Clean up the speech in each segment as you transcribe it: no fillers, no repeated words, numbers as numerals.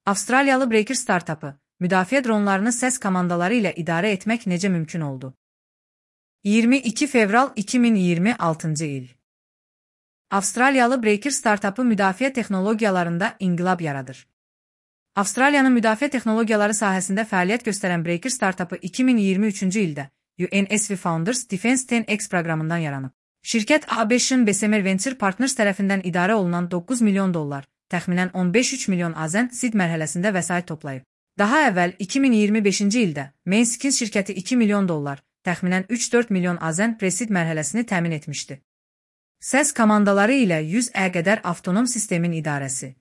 Avstraliyalı Breaker startapı, müdafiə dronlarını səs komandaları ilə idarə etmək necə mümkün oldu? 22 fevral 2026 il. Avstraliyalı Breaker startapı müdafiə texnologiyalarında inqilab yaradır. Avstraliyanın müdafiə texnologiyaları sahəsində fəaliyyət göstərən Breaker startapı 2023-cü ildə UNSV Founders Defense 10X proqramından yaranıb. Şirkət A5-in Bessemer Venture Partners tərəfindən idarə olunan 9 milyon dollar, təxminən 15-3 milyon AZN seed mərhələsində vəsait toplayıb. Daha əvvəl 2025-ci ildə Mainskins şirkəti 2 milyon dollar, təxminən 3-4 milyon AZN pre-seed mərhələsini təmin etmişdi. Səs komandaları ilə 100ə qədər avtonom sistemin idarəsi.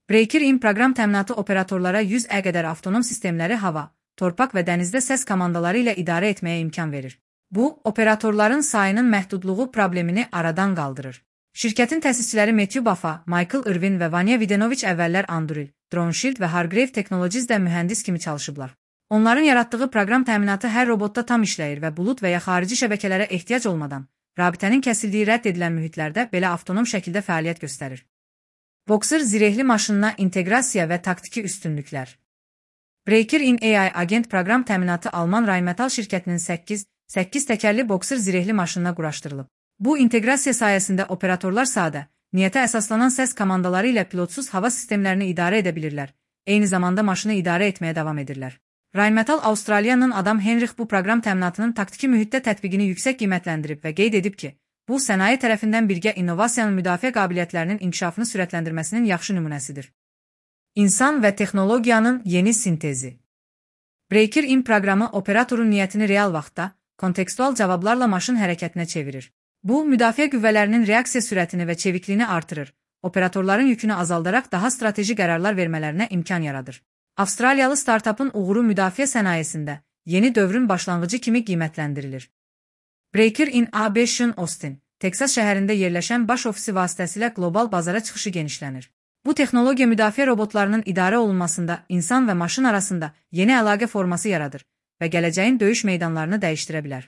Breaker-in proqram təminatı operatorlara 100ə qədər avtonom sistemləri hava, torpaq və dənizdə səs komandaları ilə idarə etməyə imkan verir. Bu, operatorların sayının məhdudluğu problemini aradan qaldırır. Şirkətin təsisçiləri Matthew Baffa, Michael Irvin və Vanya Videnovic əvvəllər Anduril, DroneShield və Hargrave Technologies-də mühəndis kimi çalışıblar. Onların yaratdığı proqram təminatı hər robotda tam işləyir və bulud və ya xarici şəbəkələrə ehtiyac olmadan, rabitənin kəsildiyi rədd edilən mühitlərdə belə avtonom şəkildə fəaliyyət göstərir. Boxer zirehli maşınına inteqrasiya və taktiki üstünlüklər. Breaker-in AI agent proqram təminatı Alman Rheinmetall şirkətinin 8 təkərli Boxer zirehli maşınına quraşdırılıb. Bu inteqrasiya sayəsində operatorlar sadə, niyyətə əsaslanan səs komandaları ilə pilotsuz hava sistemlərini idarə edə bilirlər, eyni zamanda maşını idarə etməyə davam edirlər. Rheinmetall Avstraliyanın adam Henrich bu proqram təminatının taktiki mühitdə tətbiqini yüksək qiymətləndirib və qeyd edib ki, bu sənaye tərəfindən birgə innovasiyanın müdafiə qabiliyyətlərinin inkişafını sürətləndirməsinin yaxşı nümunəsidir. İnsan və texnologiyanın yeni sintezi. Breaker-in proqramı operatorun niyyətini real vaxtda, kontekstual cavablarla maşın hərəkətinə çevirir. Bu, müdafiə qüvvələrinin reaksiya sürətini və çevikliyini artırır, operatorların yükünü azaldaraq daha strateji qərarlar vermələrinə imkan yaradır. Avstraliyalı startapın uğuru müdafiə sənayesində yeni dövrün başlanğıcı kimi qiymətləndirilir. Breaker-in A5-in Austin, Texas şəhərində yerləşən baş ofisi vasitəsilə qlobal bazara çıxışı genişlənir. Bu texnologiya müdafiə robotlarının idarə olunmasında insan və maşın arasında yeni əlaqə forması yaradır və gələcəyin döyüş meydanlarını dəyişdirə bilər.